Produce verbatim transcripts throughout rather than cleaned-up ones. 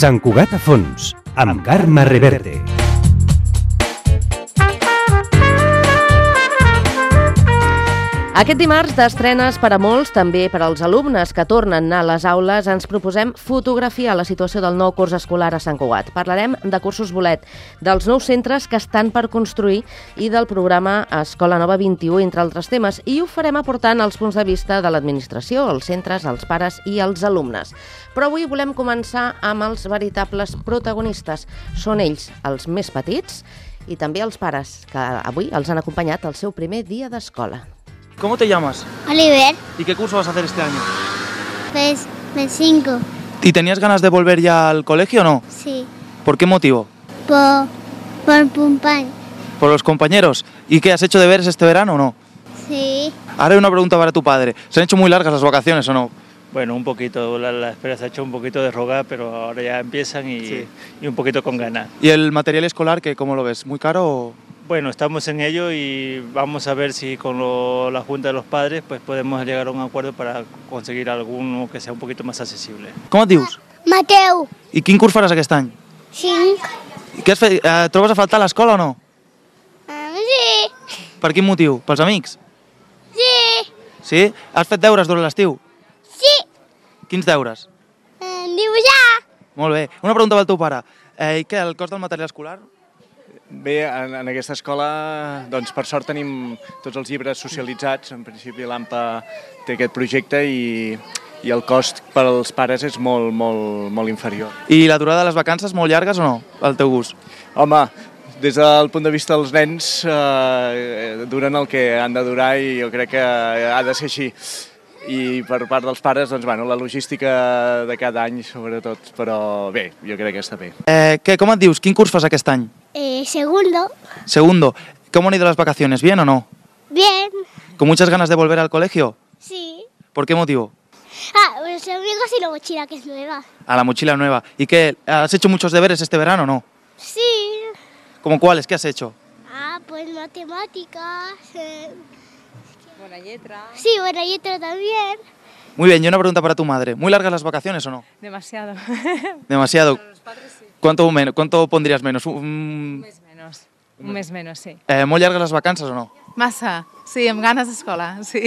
Sant Cugat a fons, amb Carme Reverte. Aquest dimarts d'estrenes per a molts, també per als alumnes que tornen a les aules, ens proposem fotografiar la situació del nou curs escolar a Sant Cugat. Parlarem de cursos bolet, dels nous centres que estan per construir i del programa Escola Nova vint-i-u, entre altres temes, i ho farem aportant els punts de vista de l'administració, els centres, els pares i els alumnes. Però avui volem començar amb els veritables protagonistes. Són ells els més petits i també els pares, que avui els han acompanyat al seu primer dia d'escola. ¿Cómo te llamas? Oliver, ¿Y qué curso vas a hacer este año? pues me cinco, ¿Y tenías ganas de volver ya al colegio o no? sí, ¿Por qué motivo? por, por Pumpán, ¿Por los compañeros? ¿Y qué, has hecho deberes este verano o no? sí, Ahora hay una pregunta para tu padre. ¿Se han hecho muy largas las vacaciones o no? Bueno, un poquito, la, la espera se ha hecho un poquito de rogar, pero ahora ya empiezan y, Sí. y un poquito con ganas. ¿Y el material escolar, que cómo lo ves? ¿Muy caro o...? Bueno, estamos en ello y vamos a ver si con lo- la Junta de los Padres pues podemos llegar a un acuerdo para conseguir alguno que sea un poquito más accesible. Com et dius? Mateu, I quin curs faràs aquest any? cinc, I què has fet? Eh, trobes a faltar a l'escola o no? ah, sí, Per quin motiu? Pels amics? sí, Sí? Has fet deures durant l'estiu? sí, Quins deures? eh, dibuixar, Molt bé. Una pregunta pel teu pare. Eh, I què, el cost del material escolar? Bé, en, en aquesta escola, doncs, per sort tenim tots els llibres socialitzats. En principi l'A M P A té aquest projecte i, i el cost per als pares és molt, molt, molt inferior. I la durada de les vacances molt llargues o no, al teu gust? Home, des del punt de vista dels nens, eh, duren el que han de durar i jo crec que ha de ser així. I per part dels pares, doncs, bueno, la logística de cada any, sobretot, però bé, jo crec que està bé. Eh, què, com et dius? Quin curs fas aquest any? eh, segundo, Segundo. ¿Cómo han ido las vacaciones? ¿Bien o no? bien, ¿Con muchas ganas de volver al colegio? sí, ¿Por qué motivo? ah, los amigos y la mochila que es nueva, A la mochila nueva. ¿Y qué? ¿Has hecho muchos deberes este verano o no? sí, ¿Cómo cuáles? ¿Qué has hecho? ah, pues matemáticas, eh, Buena letra. sí, buena letra también, Muy bien, y una pregunta para tu madre. ¿Muy largas las vacaciones o no? Demasiado. Demasiado. Para los padres sí. ¿Cuánto, men- cuánto pondrías menos? Un, Un mes menos. Un mes menos, sí. eh, ¿Molt llargues les vacances o no? Massa. Sí, amb ganes d'escola, sí.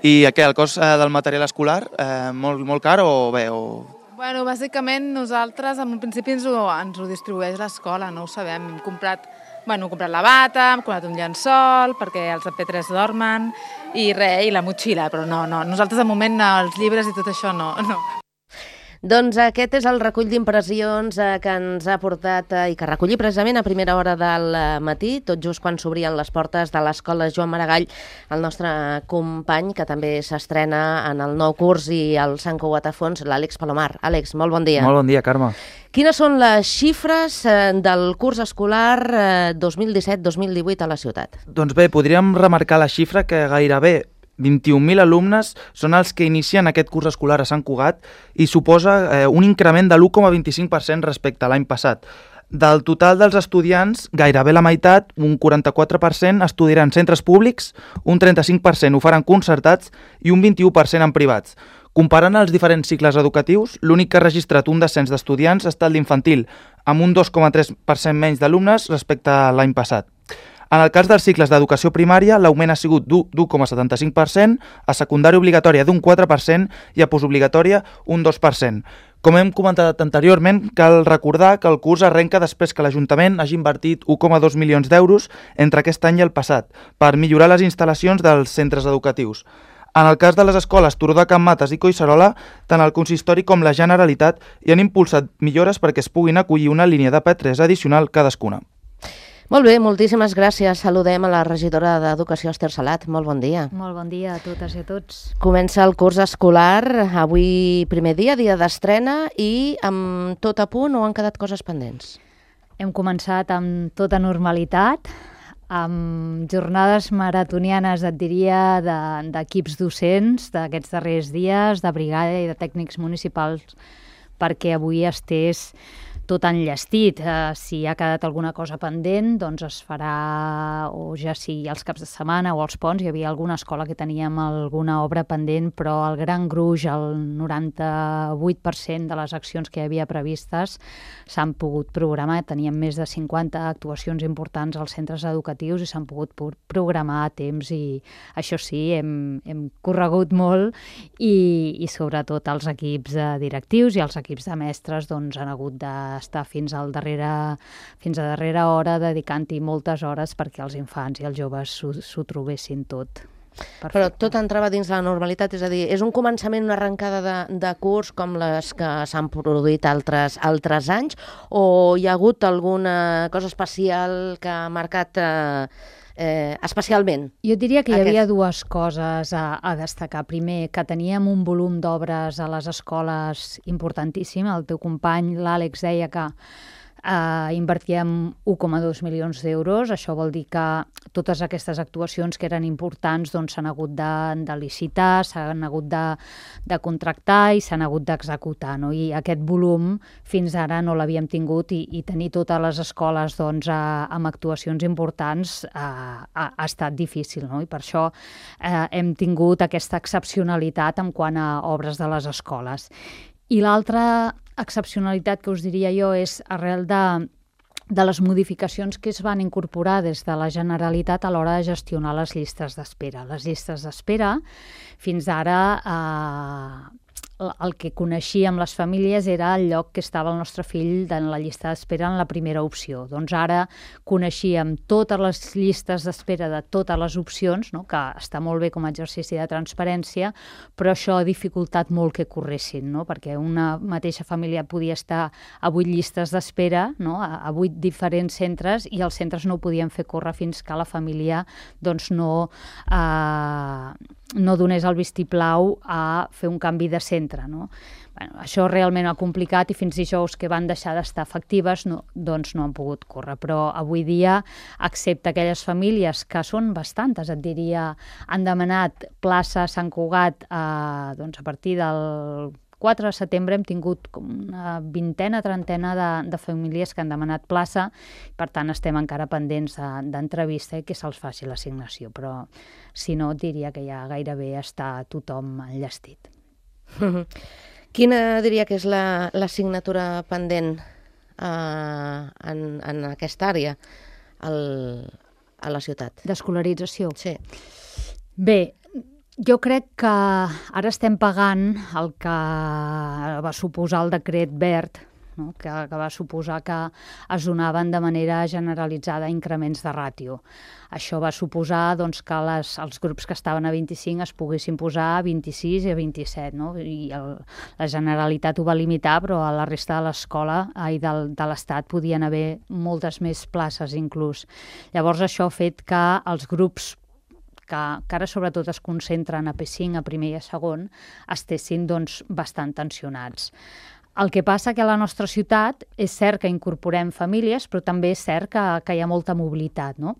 I què, el cost eh, del material escolar, eh, molt, molt car o bé? O... Bueno, bàsicament nosaltres, en un principi ens ho, ens ho distribueix l'escola, no ho sabem. Hem comprat, bueno, hem comprat la bata, hem comprat un llençol, perquè els P tres dormen, i res, i la motxilla, però no, no. Nosaltres, de moment, els llibres i tot això, no, no. Doncs aquest és el recull d'impressions eh, que ens ha portat eh, i que recolli precisament a primera hora del eh, matí, tot just quan s'obrien les portes de l'escola Joan Maragall, el nostre company, que també s'estrena en el nou curs i el Sant Cugat a fons, l'Àlex Palomar. Àlex, molt bon dia. Molt bon dia, Carme. Quines són les xifres eh, del curs escolar eh, dos mil disset dos mil divuit a la ciutat? Doncs bé, podríem remarcar la xifra que gairebé vint-i-un mil alumnes són els que inicien aquest curs escolar a Sant Cugat i suposa eh, un increment de l'u coma vint-i-cinc per cent respecte a l'any passat. Del total dels estudiants, gairebé la meitat, un quaranta-quatre per cent, estudiaran en centres públics, un trenta-cinc per cent ho faran concertats i un vint-i-u per cent en privats. Comparant els diferents cicles educatius, l'únic que ha registrat un descens d'estudiants ha estat l'infantil, amb un dos coma tres per cent menys d'alumnes respecte a l'any passat. En el cas dels cicles d'educació primària, l'augment ha sigut d'u coma setanta-cinc per cent, a secundària obligatòria d'un quatre per cent i a postobligatòria un dos per cent. Com hem comentat anteriorment, cal recordar que el curs arrenca després que l'Ajuntament hagi invertit u coma dos milions d'euros entre aquest any i el passat per millorar les instal·lacions dels centres educatius. En el cas de les escoles Turó de Can Mates i Collserola, tant el consistori com la Generalitat hi han impulsat millores perquè es puguin acollir una línia de P tres addicional cadascuna. Molt bé, moltíssimes gràcies. Saludem a la regidora d'Educació, Esther Salat. Molt bon dia. Molt bon dia a totes i a tots. Comença el curs escolar, avui primer dia, dia d'estrena, i amb tot a punt o han quedat coses pendents? Hem començat amb tota normalitat, amb jornades maratonianes, et diria, de- d'equips docents d'aquests darrers dies, de brigada i de tècnics municipals, perquè avui estés tot enllestit. Eh, si ha quedat alguna cosa pendent, doncs es farà, o ja sigui els caps de setmana o els ponts. Hi havia alguna escola que teníem alguna obra pendent, però el gran gruix, el noranta-vuit per cent de les accions que hi havia previstes s'han pogut programar. Teníem més de cinquanta actuacions importants als centres educatius i s'han pogut programar a temps, i això sí, hem, hem corregut molt, i, i sobretot els equips directius i els equips de mestres doncs, han hagut d'estar fins al darrere, fins a darrera hora dedicant-hi moltes hores perquè els infants i els joves s'ho trobessin tot. Perfecte. Però tot entrava dins la normalitat, és a dir, és un començament, una arrencada de, de curs com les que s'han produït altres, altres anys, o hi ha hagut alguna cosa especial que ha marcat eh, eh, especialment? Jo diria que hi aquest... havia dues coses a, a destacar. Primer, que teníem un volum d'obres a les escoles importantíssim. El teu company, l'Àlex, deia que Uh, invertíem un coma dos milions d'euros. Això vol dir que totes aquestes actuacions que eren importants doncs, s'han hagut de, de licitar, s'han hagut de, de contractar i s'han hagut d'executar, no? I aquest volum fins ara no l'havíem tingut, i, i tenir totes les escoles doncs, uh, amb actuacions importants uh, ha, ha estat difícil, no? I per això uh, hem tingut aquesta excepcionalitat en quant a obres de les escoles. I l'altra excepcionalitat que us diria jo és arrel de, de les modificacions que es van incorporar des de la Generalitat a l'hora de gestionar les llistes d'espera. Les llistes d'espera fins ara eh, el que coneixíem les famílies era el lloc que estava el nostre fill en la llista d'espera en la primera opció. Doncs ara coneixíem totes les llistes d'espera de totes les opcions, no? Que està molt bé com a exercici de transparència, però això ha dificultat molt que corressin, no? Perquè una mateixa família podia estar a vuit llistes d'espera, no? a, a vuit diferents centres, i els centres no ho podien fer córrer fins que la família doncs, no... Eh, no donés el vistiplau a fer un canvi de centre, no? Bueno, això realment ha complicat, i fins dijous que van deixar d'estar efectives no, doncs no han pogut córrer. Però avui dia, excepte aquelles famílies que són bastantes, et diria, han demanat plaça a Sant Cugat eh, doncs a partir del quatre de setembre hem tingut una vintena, trentena de, de famílies que han demanat plaça, per tant estem encara pendents d'entrevista de, i que se'ls faci l'assignació, però si no diria que ja gairebé està tothom enllestit. Quina diria que és l'assignatura la, pendent eh, en, en aquesta àrea al, a la ciutat? D'escolarització? Sí. Bé, jo crec que ara estem pagant el que va suposar el decret verd, no? que, que va suposar que es donaven de manera generalitzada increments de ràtio. Això va suposar doncs, que les, els grups que estaven a vint-i-cinc es poguessin posar a vint-i-sis i a vint-i-set, no? I el, la Generalitat ho va limitar, però a la resta de l'escola i del, de l'Estat podien haver moltes més places inclús. Llavors això ha fet que els grups que, que ara sobretot es concentren a P cinc, a primer i a segon, estessin doncs, bastant tensionats. El que passa que a la nostra ciutat és cert que incorporem famílies, però també és cert que, que hi ha molta mobilitat, no?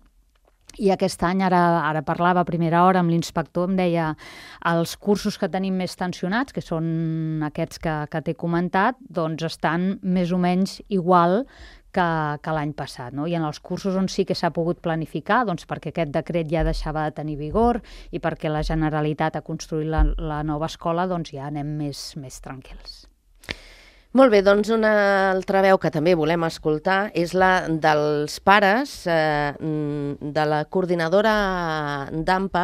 I aquest any, ara, ara parlava a primera hora amb l'inspector, em deia els cursos que tenim més tensionats, que són aquests que, que t'he comentat, doncs estan més o menys igual que, que l'any passat, no? I en els cursos on sí que s'ha pogut planificar, doncs perquè aquest decret ja deixava de tenir vigor i perquè la Generalitat ha construït la, la nova escola, doncs ja anem més, més tranquils. Molt bé, doncs una altra veu que també volem escoltar és la dels pares eh, de la coordinadora d'A M P A.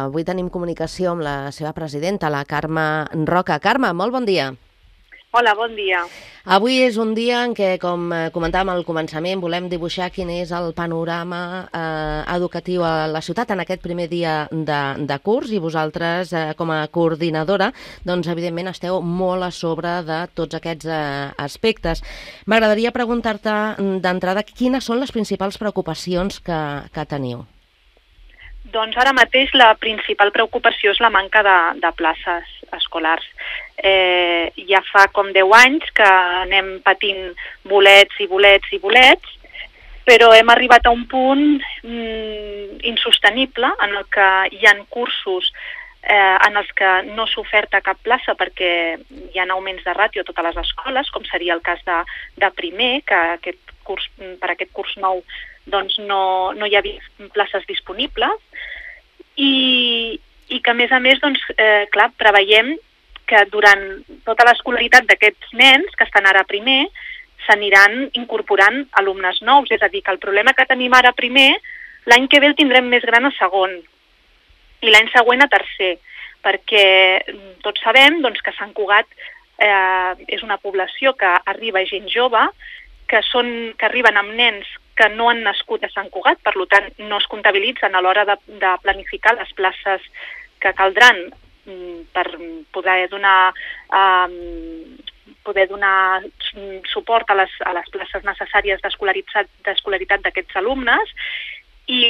Avui tenim comunicació amb la seva presidenta, la Carme Roca. Carme, molt bon dia. Hola, bon dia. Avui és un dia en què, com comentàvem al començament, volem dibuixar quin és el panorama eh, educatiu a la ciutat en aquest primer dia de, de curs, i vosaltres, eh, com a coordinadora, doncs evidentment esteu molt a sobre de tots aquests eh, aspectes. M'agradaria preguntar-te d'entrada quines són les principals preocupacions que, que teniu. Doncs ara mateix la principal preocupació és la manca de, de places escolars. Eh, ja fa com deu anys que anem patint bolets i bolets i bolets, però hem arribat a un punt mm, insostenible en el que hi ha cursos eh, en els que no s'ha oferta cap plaça perquè hi ha augments de ràtio a totes les escoles, com seria el cas de, de primer, que aquest curs, per aquest curs nou doncs no, no hi havia places disponibles, i, i que a més a més doncs, eh, clar, preveiem que durant tota l'escolaritat d'aquests nens que estan ara a primer s'aniran incorporant alumnes nous, és a dir, que el problema que tenim ara a primer, l'any que ve el tindrem més gran a segon i l'any següent a tercer, perquè tots sabem doncs, que Sant Cugat eh, és una població que arriba gent jove, que, són, que arriben amb nens que no han nascut a Sant Cugat, per tant no es comptabilitzen a l'hora de, de planificar les places que caldran per poder donar, um, poder donar suport a les, a les places necessàries d'escolaritat d'aquests alumnes, i,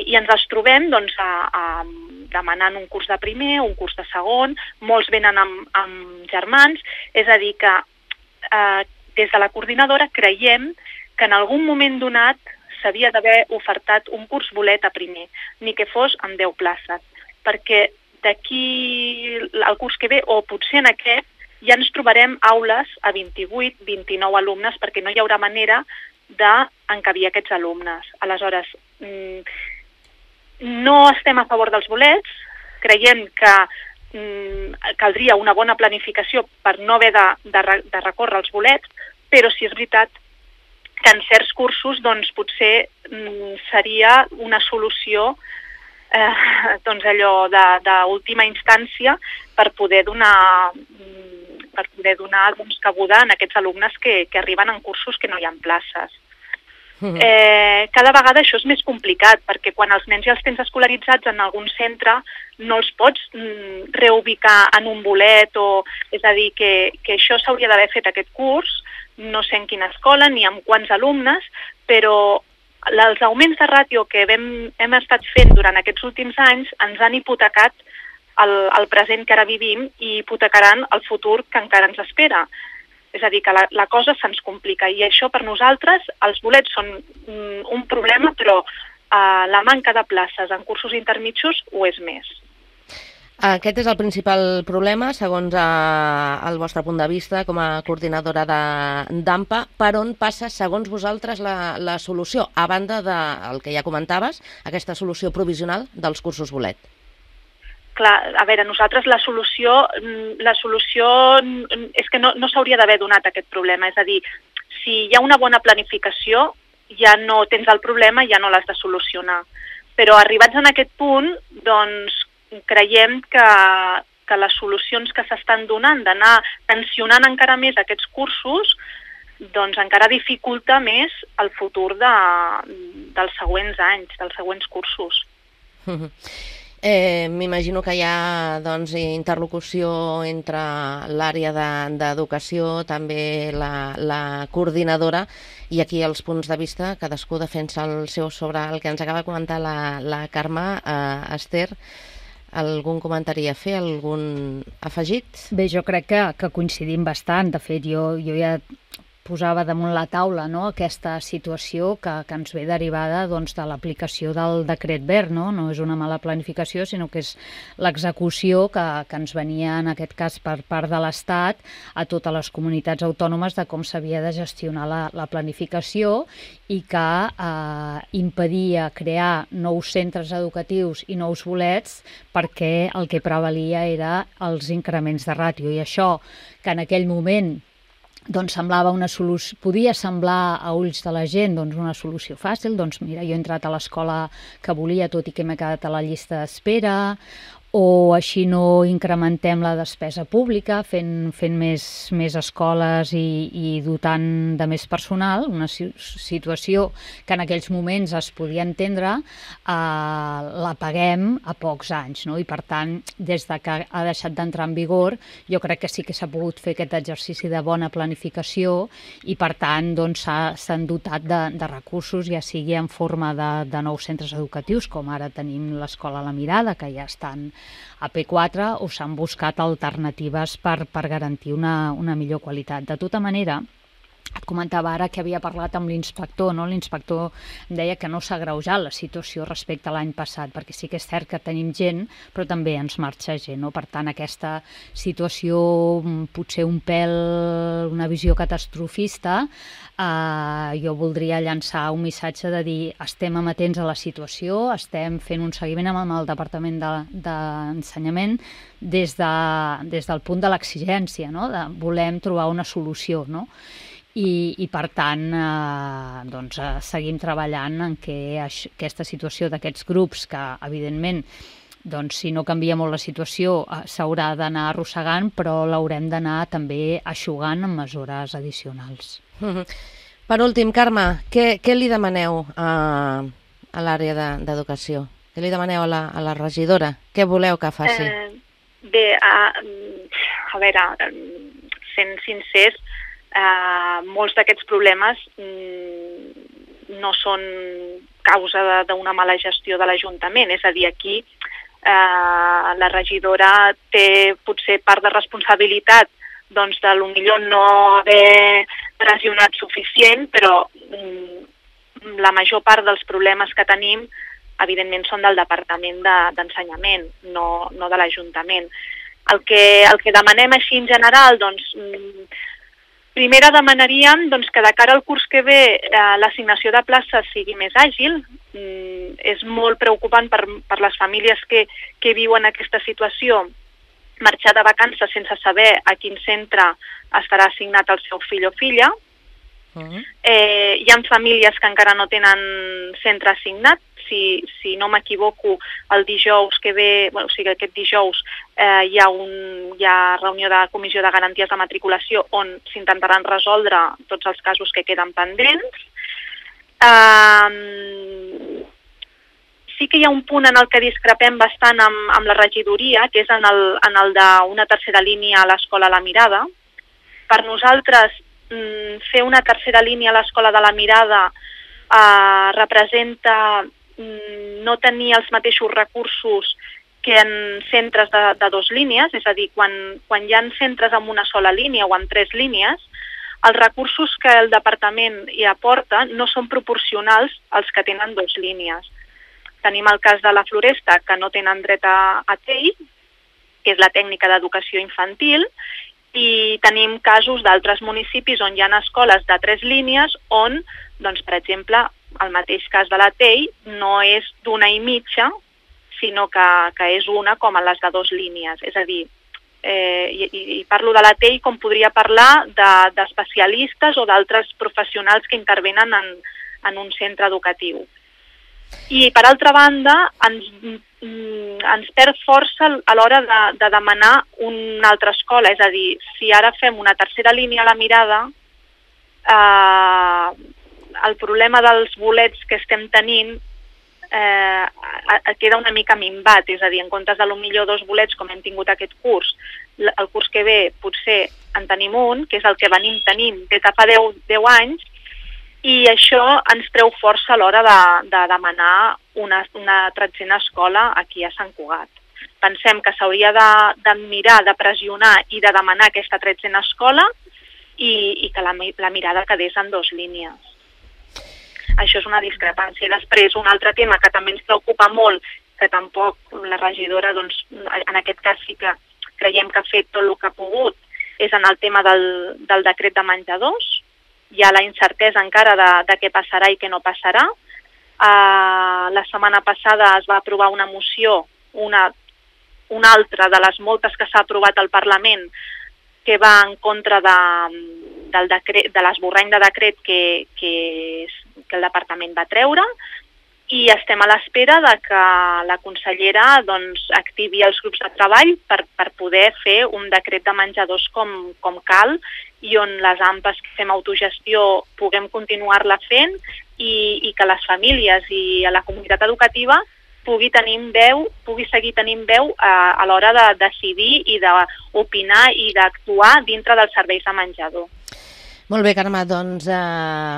i ens els trobem doncs, a, a, demanant un curs de primer, un curs de segon, molts venen amb, amb germans, és a dir que eh, des de la coordinadora creiem que en algun moment donat s'havia d'haver ofertat un curs bolet a primer, ni que fos amb deu places, perquè d'aquí al curs que ve, o potser en aquest, ja ens trobarem aules a vint-i-vuit, vint-i-nou alumnes, perquè no hi haurà manera d'encabir aquests alumnes. Aleshores, no estem a favor dels bolets, creiem que caldria una bona planificació per no haver de, de, de recórrer als bolets, però sí és veritat que en certs cursos doncs, potser seria una solució Eh, doncs allò d'última instància per poder donar, per poder donar doncs, cabuda en aquests alumnes que, que arriben en cursos que no hi ha places. Eh, cada vegada això és més complicat, perquè quan els nens ja els tens escolaritzats en algun centre no els pots mm, reubicar en un bolet, o, és a dir, que, que això s'hauria d'haver fet aquest curs, no sé en quina escola ni amb quants alumnes, però els augments de ràtio que hem, hem estat fent durant aquests últims anys ens han hipotecat el, el present que ara vivim i hipotecaran el futur que encara ens espera. És a dir, que la, la cosa se'ns complica, i això per nosaltres, els bolets són mm, un problema, però eh, la manca de places en cursos intermitjos ho és més. Aquest és el principal problema, segons eh, el vostre punt de vista com a coordinadora d'AMPA. Per on passa, segons vosaltres, la, la solució, a banda del que ja comentaves, aquesta solució provisional dels cursos bolet? Clar, a veure, nosaltres la solució, la solució és que no, no s'hauria d'haver donat aquest problema. És a dir, si hi ha una bona planificació, ja no tens el problema, ja no l'has de solucionar. Però arribats en aquest punt, doncs, creiem que, que les solucions que s'estan donant d'anar tensionant encara més aquests cursos doncs encara dificulta més el futur de, dels següents anys, dels següents cursos. Eh, M'imagino que hi ha doncs, interlocució entre l'àrea d'educació, també la, la coordinadora, i aquí els punts de vista, cadascú defensa el seu sobre el que ens acaba de comentar la, la Carme. eh, Esther, algun comentari a fer, algun afegit? Bé, jo crec que, que coincidim bastant. De fet, jo, jo ja posava damunt la taula, no?, aquesta situació que, que ens ve derivada doncs, de l'aplicació del decret verd. No? No és una mala planificació, sinó que és l'execució que, que ens venia, en aquest cas, per part de l'Estat a totes les comunitats autònomes de com s'havia de gestionar la, la planificació, i que eh, impedia crear nous centres educatius i nous bolets perquè el que prevalia era els increments de ràtio. I això, que en aquell moment doncs semblava una solució, podia semblar a ulls de la gent doncs una solució fàcil, doncs mira, jo he entrat a l'escola que volia, tot i que m'he quedat a la llista d'espera, o així no incrementem la despesa pública fent, fent més, més escoles i, i dotant de més personal, una situació que en aquells moments es podia entendre, eh, la paguem a pocs anys, no? I per tant, des de que ha deixat d'entrar en vigor, jo crec que sí que s'ha pogut fer aquest exercici de bona planificació, i per tant doncs, s'han dotat de, de recursos, ja sigui en forma de, de nous centres educatius, com ara tenim l'Escola La Mirada, que ja estan a P quatre, o s'han buscat alternatives per, per garantir una, una millor qualitat. De tota manera, Et comentava ara que havia parlat amb l'inspector, no? L'inspector em deia que no s'ha agreujat la situació respecte a l'any passat, perquè sí que és cert que tenim gent, però també ens marxa gent, no? Per tant, aquesta situació, potser un pèl, una visió catastrofista, eh, jo voldria llançar un missatge de dir estem amatents a la situació, estem fent un seguiment amb el Departament d'Ensenyament des, de, des del punt de l'exigència, no? De volem trobar una solució, no? I, i per tant eh, doncs, eh, seguim treballant en què això, aquesta situació d'aquests grups que evidentment doncs, si no canvia molt la situació eh, s'haurà d'anar arrossegant, però l'haurem d'anar també eixugant amb mesures addicionals. Mm-hmm. Per últim, Carme, què, què li demaneu a, a l'àrea d'educació? De, què li demaneu a la, a la regidora? Què voleu que faci? Eh, bé, a, a veure, sent sincers, Uh, molts d'aquests problemes mm, no són causa d'una mala gestió de l'Ajuntament, és a dir, aquí uh, la regidora té potser part de responsabilitat doncs de potser no haver pressionat suficient, però mm, la major part dels problemes que tenim evidentment són del Departament d'Ensenyament, de, no, no de l'Ajuntament. El que, el que demanem així en general, doncs, mm, primera demanaríem doncs, que de cara al curs que ve eh, l'assignació de places sigui més àgil. Mm, és molt preocupant per, per les famílies que, que viuen aquesta situació marxar de vacances sense saber a quin centre estarà assignat el seu fill o filla. Uh-huh. eh, hi ha famílies que encara no tenen centre assignat. Si, si no m'equivoco, el dijous que ve, bueno, o sigui, aquest dijous eh, hi, ha un, hi ha reunió de comissió de garanties de matriculació on s'intentaran resoldre tots els casos que queden pendents. Eh, sí que hi ha un punt en el que discrepem bastant amb, amb la regidoria, que és en el, en el d'una tercera línia a l'Escola La Mirada. Per nosaltres, mm, fer una tercera línia a l'Escola de La Mirada eh, representa no tenir els mateixos recursos que en centres de, de dos línies, és a dir, quan, quan hi ha centres amb una sola línia o amb tres línies, els recursos que el departament hi aporta no són proporcionals als que tenen dos línies. Tenim el cas de la Floresta, que no tenen dret a, a T E I, que és la tècnica d'educació infantil, i tenim casos d'altres municipis on hi ha escoles de tres línies on, doncs, per exemple, el mateix cas de la T E I no és d'una i mitja, sinó que, que és una com a les de dos línies. És a dir, eh, i, i parlo de la T E I com podria parlar d'especialistes de, o d'altres professionals que intervenen en, en un centre educatiu. I, per altra banda, ens, ens perd força a l'hora de, de demanar una altra escola. És a dir, si ara fem una tercera línia a La Mirada, eh, el problema dels bolets que estem tenint eh, queda una mica minvat, és a dir, en comptes de potser dos bolets com hem tingut aquest curs, el curs que ve potser en tenim un, que és el que venim tenint des de fa deu, deu anys, i això ens treu força a l'hora de, de demanar una, una tretzena escola aquí a Sant Cugat. Pensem que s'hauria de, de mirar, de pressionar i de demanar aquesta tretzena escola i, i que la, la mirada quedés en dos línies. Això és una discrepància. Després, un altre tema que també ens preocupa molt, que tampoc la regidora, doncs, en aquest cas sí que creiem que ha fet tot el que ha pogut, és en el tema del, del decret de menjadors. Hi ha la incertesa encara de, de què passarà i què no passarà. Uh, la setmana passada es va aprovar una moció, una, una altra de les moltes que s'ha aprovat al Parlament, que va en contra de, del decret, de l'esborrany de decret que, que, que el departament va treure, i estem a l'espera de que la consellera doncs, activi els grups de treball per, per poder fer un decret de menjadors com, com cal, i on les A M P Es que fem autogestió puguem continuar-la fent i, i que les famílies i a la comunitat educativa pugui tenir veu, pugui seguir tenint veu a, a l'hora de decidir i d'opinar i d'actuar dintre dels serveis de menjador. Molt bé, Carme, doncs eh,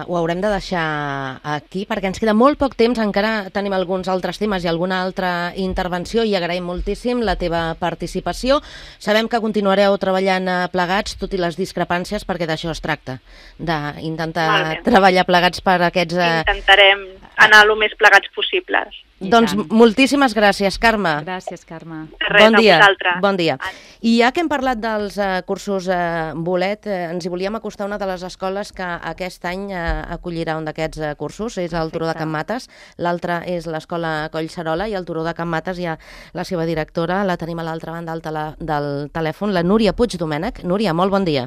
ho haurem de deixar aquí perquè ens queda molt poc temps, encara tenim alguns altres temes i alguna altra intervenció i agraïm moltíssim la teva participació. Sabem que continuareu treballant plegats, tot i les discrepàncies, perquè d'això es tracta, d'intentar treballar plegats per aquests... Eh... Intentarem anar el més plegats possibles. Doncs moltíssimes gràcies, Carme. Gràcies, Carme. Res, bon dia. a vosaltres. Bon dia. I ja que hem parlat dels uh, cursos uh, bolet, uh, ens hi volíem acostar una de les escoles que aquest any uh, acollirà un d'aquests uh, cursos, és el Turó de Can Mates, l'altre és l'escola Collserola, i el Turó de Can Mates hi ha la seva directora, la tenim a l'altra banda del, tele del telèfon, la Núria Puig Domènech. Núria, molt bon dia.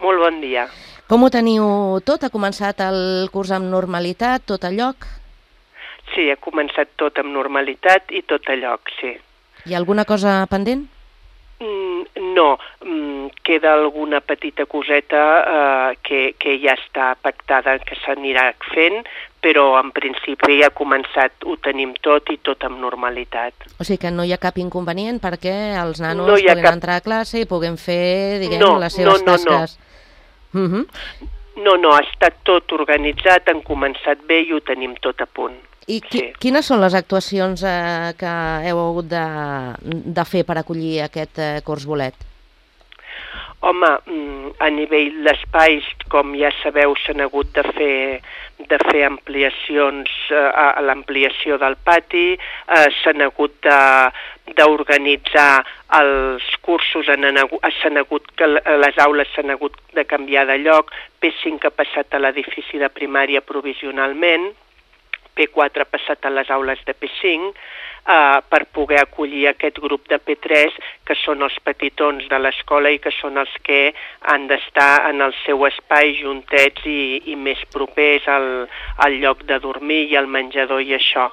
Molt bon dia. Com ho teniu tot? Ha començat el curs amb normalitat, tot a lloc? Sí, ha començat tot amb normalitat i tot a lloc, sí. Hi ha alguna cosa pendent? Mm, no, mm, queda alguna petita coseta eh, que, que ja està pactada, que s'anirà fent, però en principi ja ha començat, ho tenim tot i tot amb normalitat. O sigui que no hi ha cap inconvenient perquè els nanos no puguin cap... entrar a classe i puguin fer, diguem, no, les seves no, no, tasques. No. Uh-huh. no, no, ha estat tot organitzat, han començat bé i ho tenim tot a punt. I qui, sí. quines són les actuacions eh, que heu hagut de, de fer per acollir aquest eh, curs bolet? Home, a nivell d'espais, com ja sabeu, s'han hagut de fer, de fer ampliacions eh, a l'ampliació del pati, eh, s'han hagut d'organitzar els cursos, s'han hagut que les aules s'han hagut de canviar de lloc, P cinc ha passat a l'edifici de primària provisionalment, P quatre ha passat a les aules de P cinc, eh, per poder acollir aquest grup de P tres, que són els petitons de l'escola i que són els que han d'estar en el seu espai juntets i, i més propers al, al lloc de dormir i al menjador i això.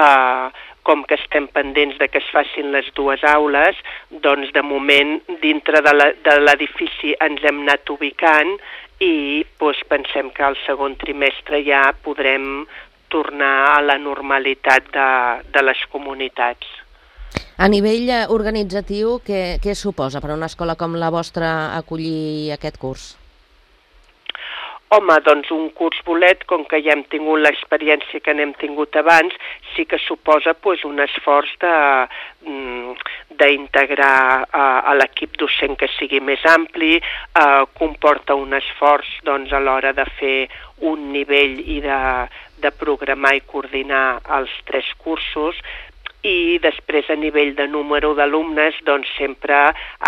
Eh, com que estem pendents de que es facin les dues aules, doncs de moment dintre de l'edifici ens hem anat ubicant i doncs, pensem que al segon trimestre ja podrem tornar a la normalitat de, de les comunitats. A nivell organitzatiu, què, què suposa per a una escola com la vostra acollir aquest curs? Home, doncs un curs bolet, com que ja hem tingut l'experiència que n'hem tingut abans, sí que suposa pues, un esforç d'integrar a, a l'equip docent que sigui més ampli, eh, comporta un esforç doncs, a l'hora de fer un nivell i de, de programar i coordinar els tres cursos, i després a nivell de número d'alumnes doncs sempre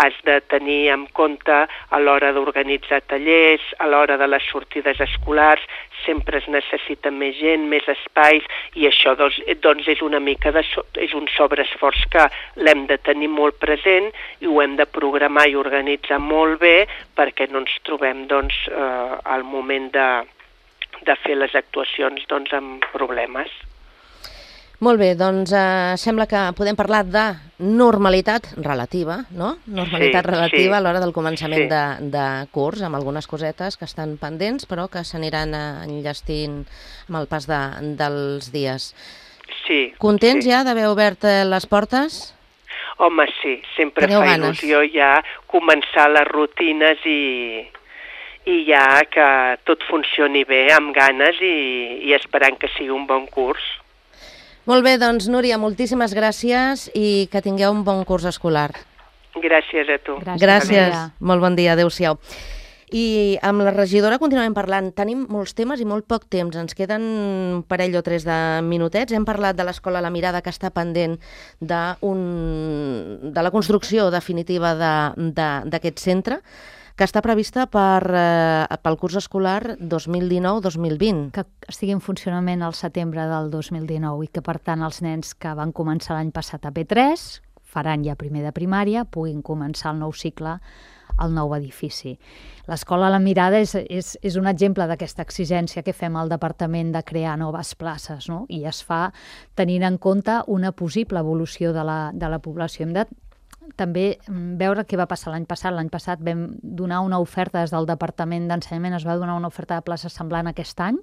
has de tenir en compte a l'hora d'organitzar tallers, a l'hora de les sortides escolars, sempre es necessita més gent, més espais, i això doncs, doncs és una mica de, és un sobreesforç que l'hem de tenir molt present i ho hem de programar i organitzar molt bé perquè no ens trobem doncs, eh, al moment de, de fer les actuacions doncs, amb problemes. Molt bé, doncs eh, sembla que podem parlar de normalitat relativa, no? Normalitat sí, relativa sí. a l'hora del començament sí. de, de curs, amb algunes cosetes que estan pendents, però que s'aniran enllestint amb el pas de, dels dies. Sí. Contents sí. ja d'haver obert les portes? Home, sí, sempre Teniu fa ganes. il·lusió ja començar les rutines i, i ja que tot funcioni bé, amb ganes i, i esperant que sigui un bon curs. Molt bé, doncs, Núria, moltíssimes gràcies i que tingueu un bon curs escolar. Gràcies a tu. Gràcies, gràcies. Molt bon dia, adéu-siau. I amb la regidora continuem parlant. Tenim molts temes i molt poc temps. Ens queden un parell o tres de minutets. Hem parlat de l'escola La Mirada, que està pendent de, un... de la construcció definitiva d'aquest de... centre, que està prevista per, eh, pel curs escolar dos mil dinou dos mil vint. Que estigui en funcionament al setembre del dos mil dinou i que, per tant, els nens que van començar l'any passat a P tres, faran ja primer de primària, puguin començar el nou cicle al nou edifici. L'escola La Mirada és, és, és un exemple d'aquesta exigència que fem al departament de crear noves places, no? I es fa tenint en compte una possible evolució de la, de la població. Hem de també veure què va passar l'any passat. L'any passat vam donar una oferta des del Departament d'Ensenyament, es va donar una oferta de places semblant aquest any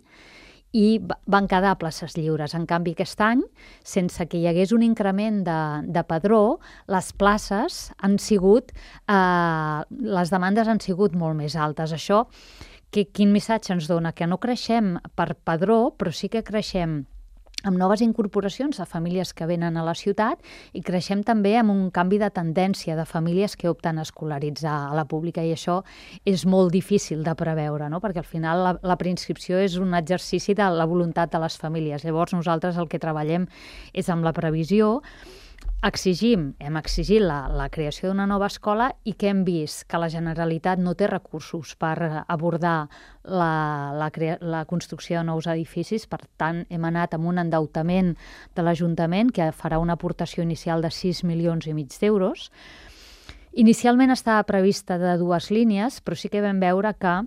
i van quedar places lliures. En canvi, aquest any, sense que hi hagués un increment de, de padró, les places han sigut, eh, les demandes han sigut molt més altes. Això que, quin missatge ens dona? Que no creixem per padró, però sí que creixem amb noves incorporacions de famílies que venen a la ciutat i creixem també amb un canvi de tendència de famílies que opten a escolaritzar a la pública, i això és molt difícil de preveure, no? Perquè al final la, la preinscripció és un exercici de la voluntat de les famílies. Llavors nosaltres el que treballem és amb la previsió. Exigim, hem exigit la, la creació d'una nova escola i que hem vist que la Generalitat no té recursos per abordar la, la, crea, la construcció de nous edificis. Per tant, hem anat amb un endeutament de l'Ajuntament que farà una aportació inicial de sis milions i mig d'euros. Inicialment estava prevista de dues línies, però sí que vam veure que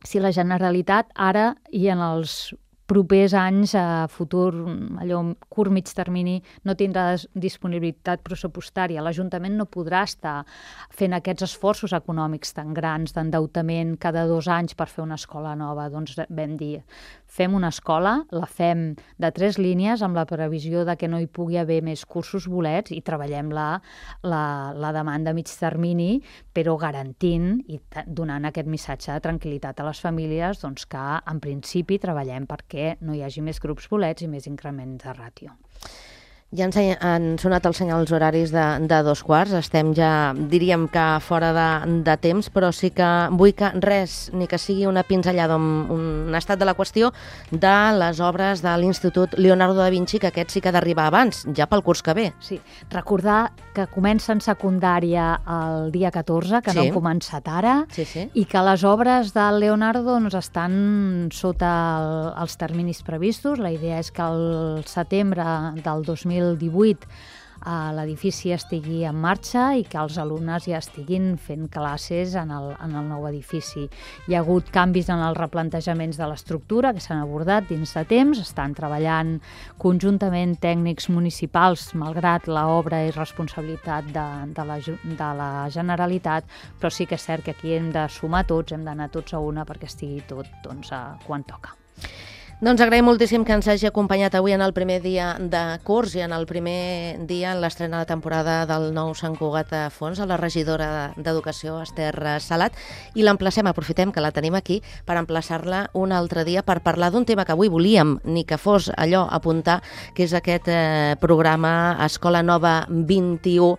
si la Generalitat ara i en els propers anys, a futur, allò curt mig termini, no tindrà disponibilitat pressupostària. L'Ajuntament no podrà estar fent aquests esforços econòmics tan grans d'endeutament cada dos anys per fer una escola nova. Doncs vam dir, fem una escola, la fem de tres línies amb la previsió de que no hi pugui haver més cursos bolets i treballem la, la, la demanda a mig termini, però garantint i donant aquest missatge de tranquil·litat a les famílies, doncs que en principi treballem perquè que no hi hagi més grups bolets i més increment de ràtio. Ja ens han sonat els senyals horaris de, de dos quarts, estem ja, diríem que fora de, de temps, però sí que vull que res, ni que sigui una pinzellada, un, un estat de la qüestió de les obres de l'Institut Leonardo da Vinci, que aquest sí que ha d'arribar abans, ja pel curs que ve. Sí, recordar que comencen secundària el dia catorze, que sí. No han començat ara, sí, sí. I que les obres del Leonardo doncs, estan sota el, els terminis previstos. La idea és que el setembre del dos mil divuit eh, l'edifici estigui en marxa i que els alumnes ja estiguin fent classes en el, en el nou edifici. Hi ha hagut canvis en els replantejaments de l'estructura que s'han abordat dins de temps, estan treballant conjuntament tècnics municipals, malgrat l'obra i responsabilitat de, de, la, de la Generalitat, però sí que és cert que aquí hem de sumar tots, hem d'anar tots a una perquè estigui tot doncs, quan toca. Doncs agraïm moltíssim que ens hagi acompanyat avui en el primer dia de curs i en el primer dia en l'estrena de temporada del nou Sant Cugat a Fons, a la regidora d'Educació, Esther Salat, i l'emplacem, aprofitem que la tenim aquí, per emplaçar-la un altre dia per parlar d'un tema que avui volíem, ni que fos allò apuntar, que és aquest eh, programa Escola Nova vint-i-u,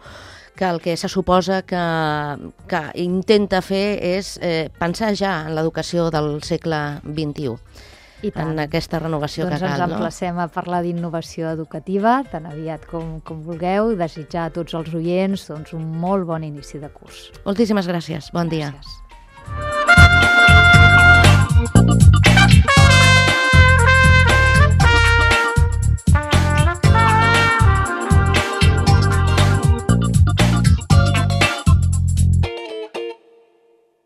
que el que se suposa que, que intenta fer és eh, pensar ja en l'educació del segle vint-i-u. En aquesta renovació doncs que cal. Doncs ens emplacem a parlar d'innovació educativa tan aviat com, com vulgueu, i desitjar a tots els oients doncs, un molt bon inici de curs. Moltíssimes gràcies. Bon dia. Gràcies.